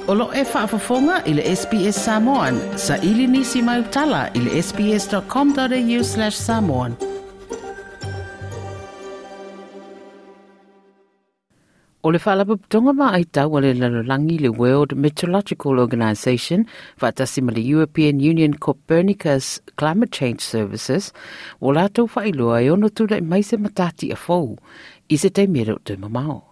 O lo e faafofoga i le SBS Samoan. Saili nisi mai utala i le sbs.com.au/samoan. O le Faalapotopotoga Vaai Tau a le Lalolagi le World Meteorological Organization faatasi ma le European Union Copernicus Climate Change Services ua latou faailoa e ono tulai mai se matatia fou i se taimi e le o toe mamao.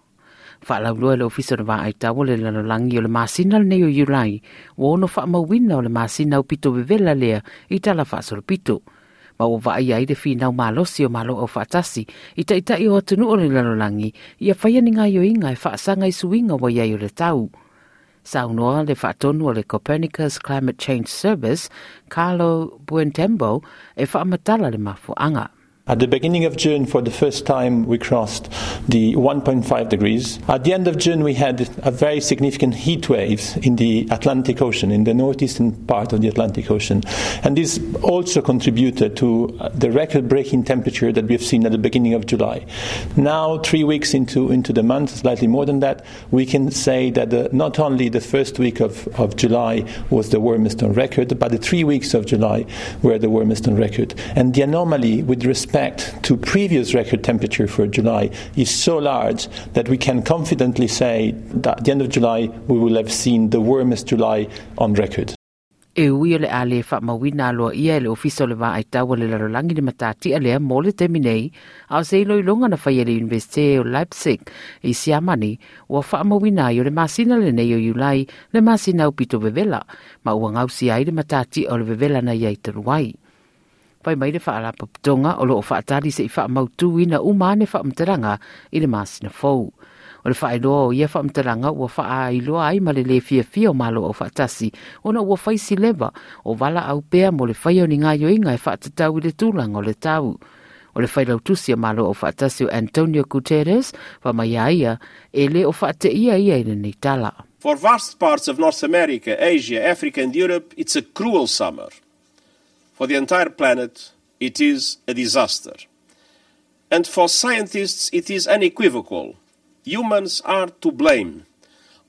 Faalauiloa e le Ofisa o le Vaai Tau a le Lalolagi o le masina lenei o Iulai ua ono faamauina o le masina aupito vevela lea i tala faasolopito. Ma ua vaaia ai le finau malosi o Malo Aufaatasi i taitai o atunuu o le lalolagi ia faia ni gaoioiga e faasaga i suiga ua i ai o le tau. Saunoa le faatonu o le Copernicus Climate Change Service, Carlo Buontempo, e faamatala le mafuaaga. At the beginning of June, for the first time, we crossed the 1.5 degrees. At the end of June, we had a very significant heat wave in the Atlantic Ocean, in the northeastern part of the Atlantic Ocean. And this also contributed to the record-breaking temperature that we've seen at the beginning of July. Now, 3 weeks into the month, slightly more than that, we can say that not only the first week of July was the warmest on record, but the 3 weeks of July were the warmest on record. And the anomaly with respect to previous record temperature for July is so large that we can confidently say that at the end of July we will have seen the warmest July on record. E ui o le a le faamauina aloaia e le Ofisa o le Vaai Tau a le Lalolagi le matatia lea mo le taimi nei, a o se iloiloga na faia e le Iunivesite o Leipzig i Siamani, ua faamauina ai o le masina lenei o Iulai le masina aupito vevela, ma ua gausia ai le matatia o le vevela na iai talu ai. Fai mai le Faalapotopotoga o loo faatali se'i faamautuina uma ane faamatalaga i le masina fou. O le faailoa o ia faamatalaga ua faaailoa ai ma le lē fiafia o Malo Aufaatasi ona ua fai si leva o valaau pea mo le faia o ni gaoioiga e faatatau i le tulaga o le tau. O le failautusi a Malo Aufaatasi o Antonio Guterres fai mai a ia e lē o faateia ia i lenei tala. For vast parts of North America, Asia, Africa and Europe, it's a cruel summer. For the entire planet, it is a disaster. And for scientists, it is unequivocal. Humans are to blame.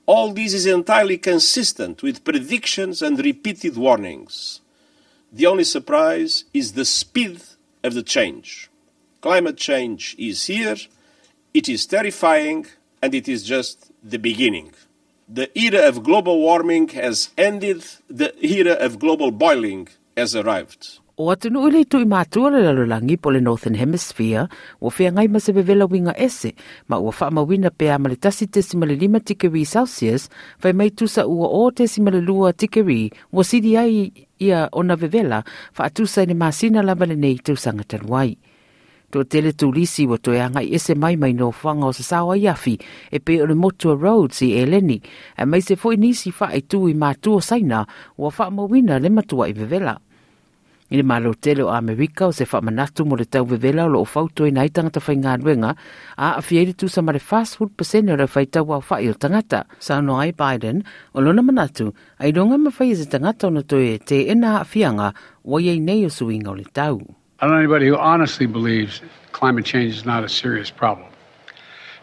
All this is entirely consistent with predictions and repeated warnings. The only surprise is the speed of the change. Climate change is here, it is terrifying, and it is just the beginning. The era of global warming has ended, the era of global boiling has arrived. O atunuu i le itu i matua o le lalolagi po o le Northern Hemisphere ua feagai ma se vevela uiga ese ma ua faamauina pe a ma le 1.5 tikeri Celsius fai mai tusa ua 0.2 tikeri ua sili ai ia ona vevela faatusa i le masina lava lenei tausaga talu ai. Toatele turisi ua toe agai ese mai mai nofoaga o sasao ai afi e pei o le motu o Rhodes i Eleni, aemaise foi nisi faaitu i matua o Saina ua faamauina le matuai vevela. I le Malo tele o Amerika o se faamanatu mo le tau vevela o loo fautuaina ai tagata faigaluega a aafia ai le tusa ma le 40% o le faitau aofai o tagata. Saunoa ai Biden, o lona manatu, ailoga mafai e se tagata ona toe teena aafiaga ua i ai nei o suiga o le tau. I don't know anybody who honestly believes climate change is not a serious problem.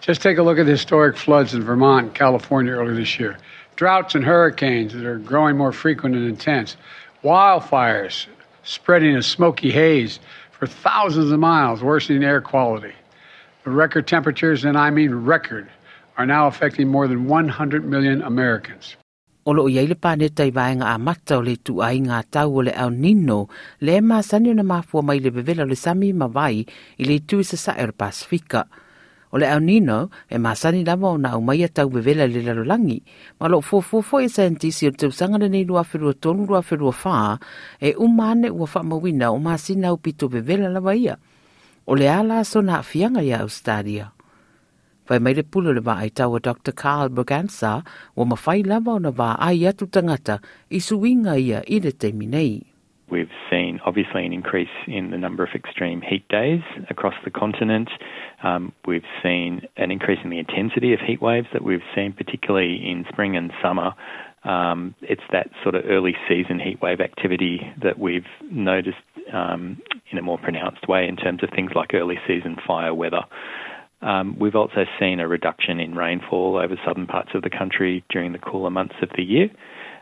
Just take a look at the historic floods in Vermont and California earlier this year. Droughts and hurricanes that are growing more frequent and intense. Wildfires spreading a smoky haze for thousands of miles, worsening air quality. The record temperatures, and I mean record, are now affecting more than 100 million Americans. O loo i ai le paneta i vaega amata o le ituaiga tau o le El Nino, lea e masani ona mafua mai le vevela o le sami ma vai i le itu i sasae o le Pasefika. O le El Nino e masani lava ona aumaia tau vevela i le lalolagi, ma o loo fuafua foi e saienitisi o le tausaga lenei 2023/2024 e uma ane ua faamauina o masina aupito vevela lava ia. O le a la sona aafiaga ia Ausetalia? Fai mai le pule o le vaai tau a Dr. Karl Braganza ua mafai lava ona vaai atu tagata i suiga ia i le taimi nei. We've seen obviously an increase in the number of extreme heat days across the continent. We've seen an increase in the intensity of heat waves that we've seen, particularly in spring and summer. It's that sort of early season heat wave activity that we've noticed in a more pronounced way in terms of things like early season fire weather. We've also seen a reduction in rainfall over southern parts of the country during the cooler months of the year,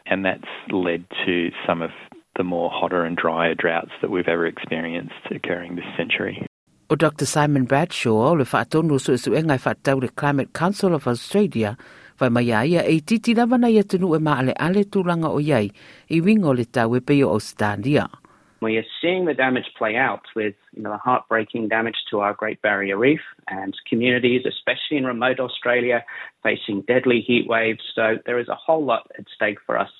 and that's led to some of the more hotter and drier droughts that we've ever experienced occurring this century. O Dr Simon Bradshaw, le faatonu o suesuega e faatatau le Climate Council of Australia, fai mai a ia e itiiti lava nai atunuu e maaleale tulaga o i ai i uiga o le tau e pei o Ausetalia. We are seeing the damage play out with you know, the heartbreaking damage to our Great Barrier Reef and communities, especially in remote Australia, facing deadly heat waves. So there is a whole lot at stake for us.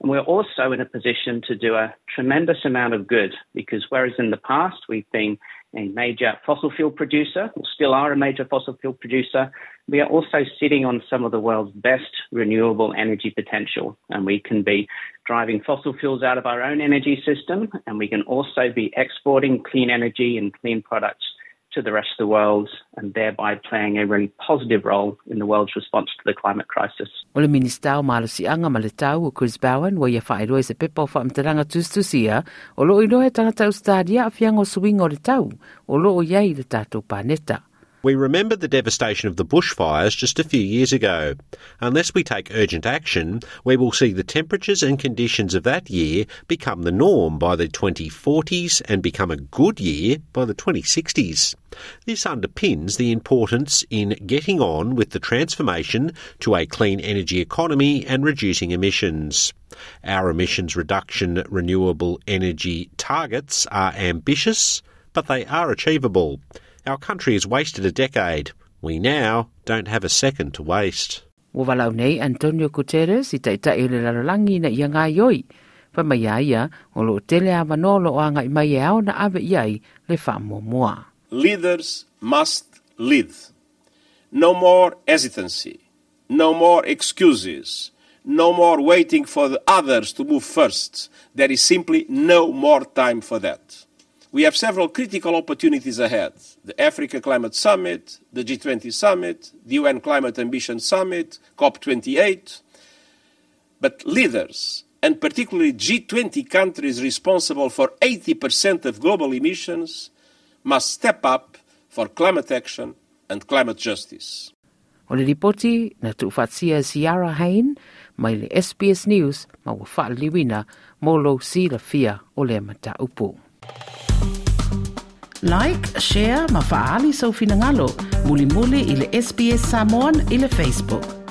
And we're also in a position to do a tremendous amount of good because whereas in the past we've been a major fossil fuel producer, or still are a major fossil fuel producer, we are also sitting on some of the world's best renewable energy potential. And we can be driving fossil fuels out of our own energy system, and we can also be exporting clean energy and clean products to the rest of the world and thereby playing a really positive role in the world's response to the climate crisis. O le Minista o Malosiaga ma le Tau o Chris Bowen ua ia faailoa i se pepa o faamatalaga tusitusia o loo iloa e tagata Ausetalia aafiaga o suiga o le tau o loo i ai le tatou paneta. We remember the devastation of the bushfires just a few years ago. Unless we take urgent action, we will see the temperatures and conditions of that year become the norm by the 2040s and become a good year by the 2060s. This underpins the importance in getting on with the transformation to a clean energy economy and reducing emissions. Our emissions reduction renewable energy targets are ambitious, but they are achievable. Our country has wasted a decade. We now don't have a second to waste. Ua valaau nei Antonio Guterres i Taitai o le Lalolagi ina ia gaoioi. Fai mai a ia, o lo o tele avanoa o lo o agai mai e ao ona ave i ai le faamuamua. Leaders must lead. No more hesitancy. No more excuses. No more waiting for the others to move first. There is simply no more time for that. We have several critical opportunities ahead the Africa Climate Summit, the G20 Summit, the UN Climate Ambition Summit, COP28. But leaders, and particularly G20 countries responsible for 80% of global emissions, must step up for climate action and climate justice. O le lipoti na tuufaatasia e Ciara Hain mai le SBS News ma ua faaliliuina mo lou silafia o lea mataupu. Like, share ma faaali sou finagalo mulimuli i le SBS Samoan i le Facebook.